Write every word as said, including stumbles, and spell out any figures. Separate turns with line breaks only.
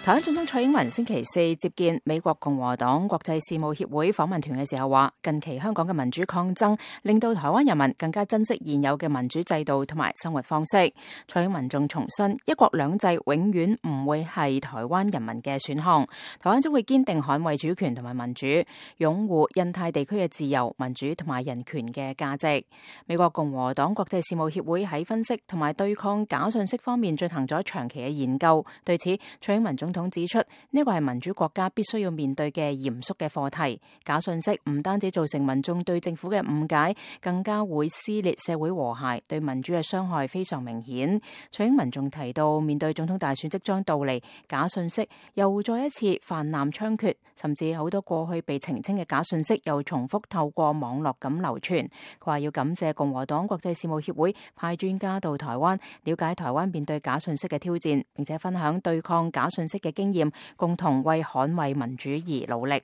台灣總統蔡英文星期四接見美國共和黨國際事務協會訪問團嘅時候話，近期香港嘅民主抗爭令到台灣人民更加珍惜現有嘅民主制度同埋生活方式。蔡英文仲重申，一國兩制永遠唔會係台灣人民嘅選項，台灣將會堅定捍衛主權同埋民主，擁護印太地區嘅自由、民主同埋人權嘅價值。美國共和黨國際事務協會喺分析同埋對抗假訊息方面進行咗長期嘅研究，對此蔡英文總統指出，呢個係民主國家必須要面對嘅嚴肅嘅課題。假訊息唔單止造成民眾對政府嘅誤解，更加會撕裂社會和諧，對民主嘅傷害非常明顯。蔡英文仲提到，面對總統大選即將到嚟，假訊息又再一次泛濫猖獗，甚至好多過去被澄清嘅假訊息又重複透過網絡咁流傳。佢話要感謝共和黨國際事務協會派專家到台灣，了解台灣面對假訊息嘅挑戰，並且分享對抗假訊息嘅經驗，共同為捍衛民主而努力。